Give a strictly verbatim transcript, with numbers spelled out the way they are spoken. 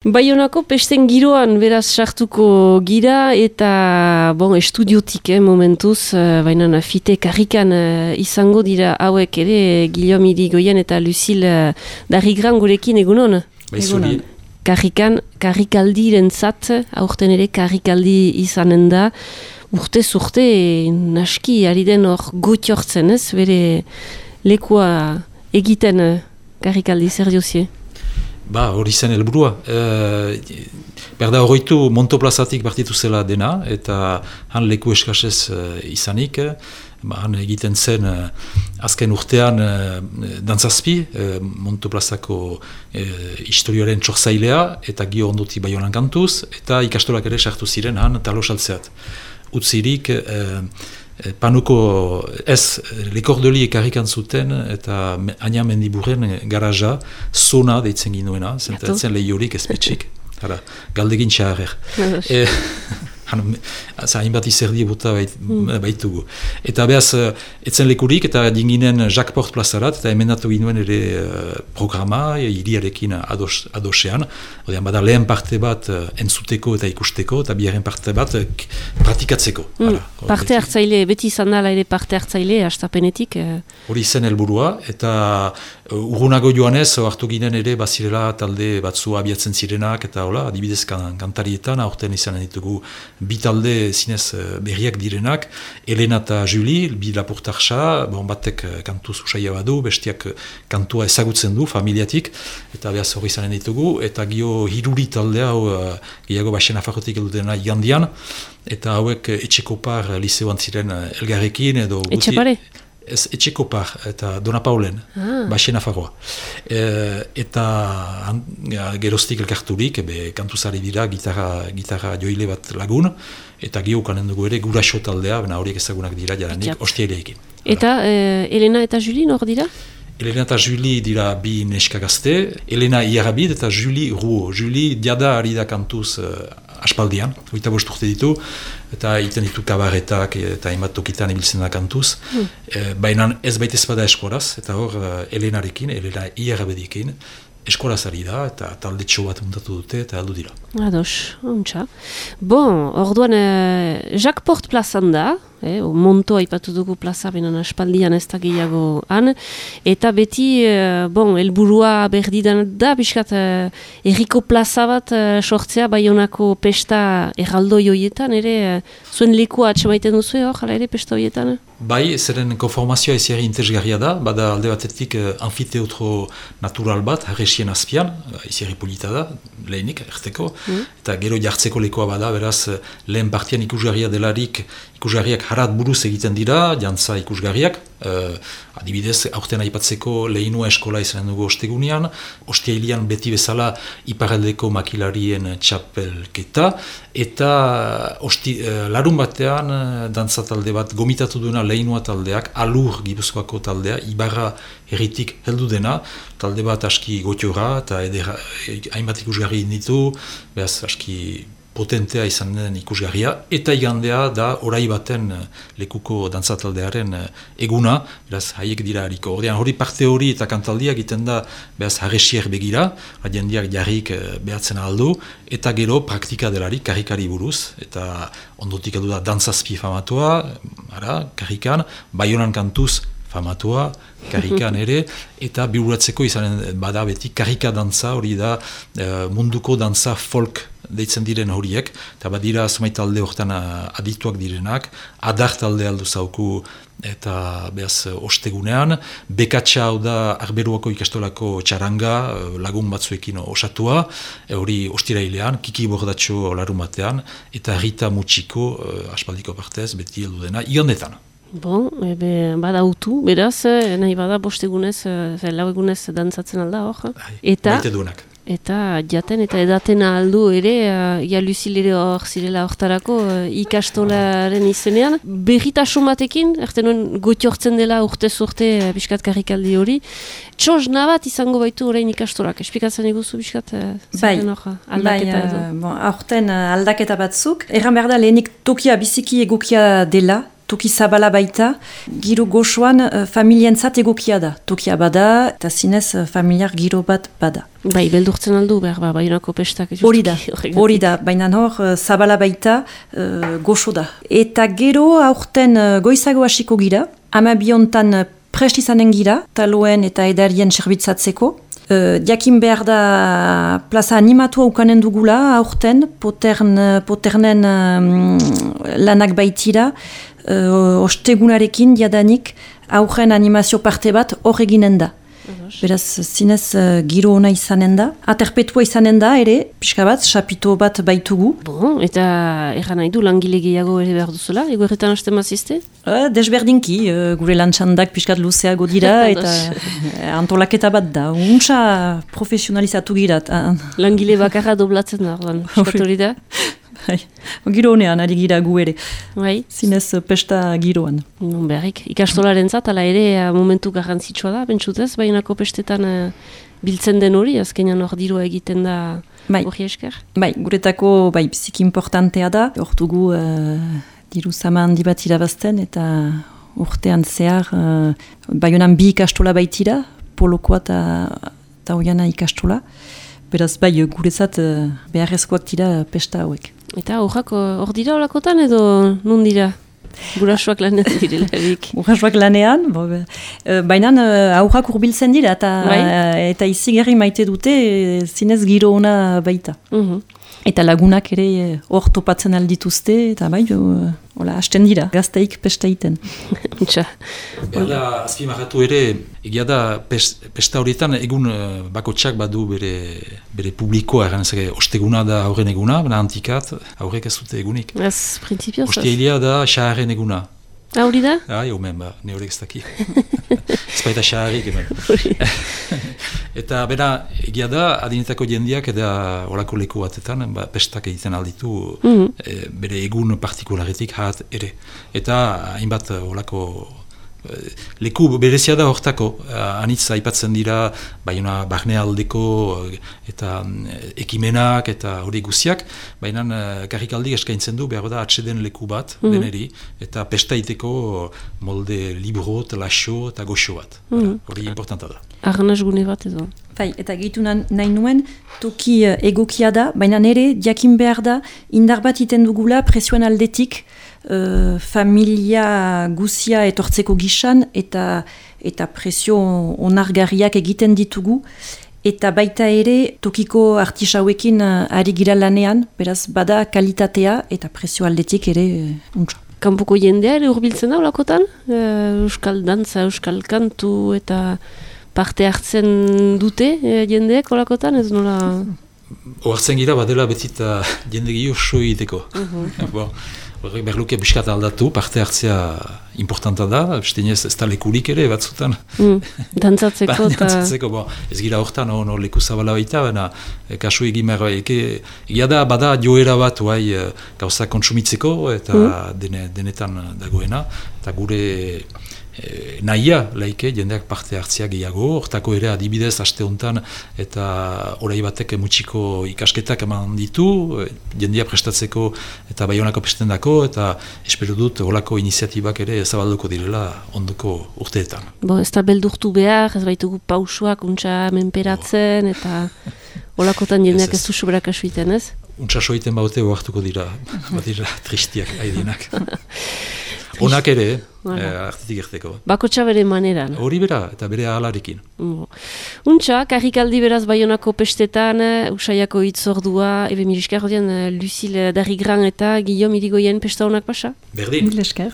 Baionako pesten giroan beraz sartuko gira eta bon, estudiotik eh, momentuz, uh, baina fite karrikan uh, izango dira hauek ere Guillaume Irigoyen eta Lucille uh, Darrigran gurekin egunon? Egunon. Karrikan, karrikaldiren zat, aurten ere karrikaldi izanen da, urte zurte naski ari den hor gotiortzen ez, bere lekua egiten uh, karrikaldi zer diozie? Ba, hori zen helburua. E, berda horreitu Montoplazatik partitu zela dena, eta han leku eskasez e, izanik, ba, han egiten zen e, azken urtean e, dantzazpi, e, Montoplazako e, historioaren txorzailea, eta gio ondoti Baionan kantuz, eta ikastolak ere sartu ziren han talo saltzeat. Utzirik, e, panuko ez lekordoli ekarrikan zuten eta Aina Mendiburren garaja zona deitzen ginuena, zentratzen lehiorik ezpetxik. Galdegin txarrer. Hainbat izerdi bota bait, mm. baitugu. Eta behaz, etzen lekurik eta dinginen Jacques Port plazarat, eta emendatu ginuen ere uh, programa, hiriarekin ados, adosean. Odean, bada lehen parte bat uh, entzuteko eta ikusteko, eta biaren parte bat uh, pratikatzeko. Mm. Hala, parte hartzaile, beti izan dala ere parte hartzaile, hastapenetik. Hori uh... zen helburua, eta uh, urrunago joanez, hartu ginen ere, bazirela talde batzu abiatzen zirenak, eta hola, adibidez kan, kantarietan, aurten izanen ditugu bi talde zinez berriak direnak, Elena eta Julie, bi lapurtarxa, bon, batek kantu zusaia badu, bestiak kantua ezagutzen du, familiatik, eta behaz hori izanen ditugu, eta gio hiruri taldea, hau, gehiago baxen afarrotik eldutena igandian, eta hauek etxekopar liseoan ziren elgarrekin, edo guti... Etxepare? Ez, etxekopar, eta Dona Paulen, ah. Baxen afarroa. E, eta an, ja, geroztik elkarturik, ebe kantuzari dira, gitarra, gitarra joile bat lagun, eta gio kanen dugu ere guraxo taldea, bena horiek ezagunak dira jaranik, ostiaileekin. Eta eh, Elena eta Julie nor dira? Elena eta Julie dira bi neska gazte, Elena Iarabid eta Julie Ruo. Julie diada ari da kantuz uh, aspaldian, hogeita bost urte ditu, eta egiten ditu kabaretak eta hainbat tokitan ibiltzen da kantuz. Hmm. E, baina ez baita ez bada eskolaz, eta hor uh, Elenarekin, Elena Iarabidekin, eskolaz ari da, eta talde txo bat muntatu dute, eta aldu dira. Ados, ontsa. Bon, orduan eh, Jacques Port plazan da, eh, Monto aipatu dugu plaza, benen aspaldian ez da gehiago han, eta beti, eh, bon, elburua berdidan da, biskat, eh, erriko plaza bat eh, sortzea, Baionako pesta erraldoi hoietan, ere, eh, zuen lekua atxemaiten duzu, hor, jala ere pesta hoietan? Bai, zeren konformazioa ezari interesgarria da, bada alde batetik uh, anfiteotro natural bat, harresien azpian, uh, ezari polita da, lehenik, erteko, mm. eta gero jartzeko lekoa bada, beraz, lehen partian ikusgarria delarik, ikusgarriak harat buruz egiten dira, jantza ikusgarriak, uh, adibidez, aurten aipatzeko lehinua eskola izanen dugu ostegunean, ostiailian beti bezala iparaldeko makilarien txapelketa, eta osti, uh, larun batean uh, dantza talde bat gomitatu duena lehinua taldeak, Alur Gipuzkoako taldea, Ibarra herritik heldu dena, talde bat aski gotiora, eta edera, hainbat ikusgarri ditu, behaz aski potentea izan den ikusgarria, eta igandea da orai baten lekuko dantzataldearen eguna, beraz haiek dira hariko. Ordean hori parte hori eta kantaldia egiten da beraz harresier begira, jendeak jarrik behatzen aldu, eta gero praktika delarik karrikari buruz, eta ondotik edu da dantzazpi famatua, ara, karrikan, Baionan kantuz famatua, karrikan ere, eta bihuratzeko izanen bada beti karrika dantza, hori da munduko dantza folk deitzen diren horiek, eta badira zumait talde horretan adituak direnak, adar talde aldu zauku eta behaz ostegunean, bekatxa hau da Arberuako ikastolako txaranga lagun batzuekin osatua, hori ostirailean, Kiki Bordatxo larun batean, eta Rita Mutxiko aspaldiko partez, beti heldu dena, igandetan. Bon, ebe, bada utu, beraz, nahi bada bostegunez, lau egunez dantzatzen alda hor. Eta, baite duenak. Eta jaten eta edaten aldu ere, uh, ja Lucille ere hor zirela hortarako uh, ikastolaren izenean. Berritasun batekin, erten nuen gotiortzen dela urtez urte uh, biskat karrikaldi hori. Txos nabat izango baitu orain ikastolak, esplikatzen eguzu biskat uh, bai, hor, aldaketa bai, edo. Uh, bon, aurten uh, aldaketa batzuk. Erran behar da lehenik tokia biziki egokia dela, toki zabala baita, giro goxoan uh, familientzat egokia da. Tokia bada, eta zinez uh, familiar giro bat bada. Bai, beldurtzen aldu behar, ba, Baionako pestak. Hori da, hori da, baina hor, uh, zabala baita, uh, goxo da. Eta gero aurten uh, goizago hasiko gira, amabiontan uh, prest izanen gira, taloen eta edarien serbitzatzeko. Uh, diakin behar da plaza animatua ukanen dugula aurten, potern, poternen um, lanak baitira, uh, ostegunarekin diadanik aurren animazio parte bat hor eginen da. Beraz, zinez uh, giro ona izanen da. Aterpetua izanen da, ere, pixka bat, sapito bat baitugu. Bon, eta erran nahi du langile gehiago ere behar duzula, ego erretan hasten mazizte? Uh, desberdinki, uh, gure lantxandak pixkat luzeago dira, eta antolaketa bat da. Untsa profesionalizatu girat. Uh. Langile bakarra doblatzen da, ordan, eskatori da? Giro honean, ari gira gu ere. Bai. Zinez pesta giroan. Non beharrik. Ikastolaren zat, ala ere momentu garrantzitsua da, bentsutez, Baionako pestetan uh, biltzen den hori, azkenean hor dirua egiten da bai. Hori esker? Bai, guretako bai, biziki importantea da. Hor dugu uh, diru zama handi bat irabazten, eta urtean zehar uh, Baionan bi ikastola baitira, polokoa eta oiana ikastola. Beraz, bai, guretzat uh, beharrezkoak dira pesta hauek. Eta horrak hor dira olakotan edo nun dira? Gurasoak lanean direlarik. Gurasoak lanean, bo, be, baina uh, aurrak urbiltzen dira eta, bai? uh, eta izigarri maite dute uh, zinez giro ona baita. Uh-huh. Eta lagunak ere hor uh, topatzen aldituzte, eta bai, uh, hola, hasten dira, gazteik pesta iten. Txa. Berda, azpimarratu ere, egia da pest, pesta horietan egun uh, bakotxak badu bere, bere publikoa, eran ezake, osteguna da aurren eguna, bena antikat, aurrek ez dute egunik. Ez, prinsipioz. Osteilia da xaharren eguna. Ah, hori da? Ah, jo, men, ba, ne horrek ez daki. Ez baita xaharrik, hemen. Eta bera, egia da, adinetako jendiak eta horako leku batetan, ba, pestak egiten alditu mm-hmm. e, bere egun partikularetik hat ere. Eta hainbat horako leku berezia da hortako, anitz aipatzen dira Baiona barnealdeko eta ekimenak eta hori guziak, baina karrikaldi eskaintzen du behar da atseden leku bat mm-hmm. deneri, eta pestaiteko molde libro, laxo eta goxo bat. Mm-hmm. Hori importanta da. Arnaz gune bat edo. Bai, eta gehitu nahi nuen, toki uh, egokia da, baina nire jakin behar da, indar bat iten dugula presioan aldetik, uh, familia guzia etortzeko gisan, eta, eta presio onargarriak egiten ditugu, eta baita ere tokiko artisauekin uh, ari gira lanean, beraz bada kalitatea eta presio aldetik ere uh, untsa. Kanpoko jendea ere urbiltzen da olakotan? Uh, euskal dantza, euskal kantu eta parte hartzen dute e, jendeek olakotan, ez nola? Oartzen gira badela betita jende gehiago so egiteko. Uh-huh. Bon, horrek berluke biskat aldatu, parte hartzea importanta da, bestinez ez da lekurik ere batzutan. Mm, dantzatzeko ba, eta... Dantzatzeko, bon, ez gira horretan, no, no, leku zabala baita, baina kasu egin behar, egia da bada joera bat guai gauza kontsumitzeko eta mm. dene, denetan dagoena, eta gure E, nahia, laike, jendeak parte hartzia gehiago, hortako ere adibidez aste honetan eta orai batek mutxiko ikasketak eman ditu, jendea prestatzeko eta Baionako pestendako, eta espero dut horako iniziatibak ere zabalduko direla ondoko urteetan. Bo, ez da beldurtu behar, ez baitugu pausuak untsa menperatzen, eta holakotan jendeak ez du sobrak asuiten, ez? Untsa soiten baute oartuko dira, bat dira tristiak haidienak. Onak ere, eh, artetik erteko. Bakotxa bere maneran. Hori bera, eta bere ahalarekin. Untxa, karrikaldi beraz Baionako pestetan, Usaiako hitzordua, ebe miriskar hodian, Lucille Darigran eta Guillaume Irigoyen pesta honak pasa? Berdin. Mil esker.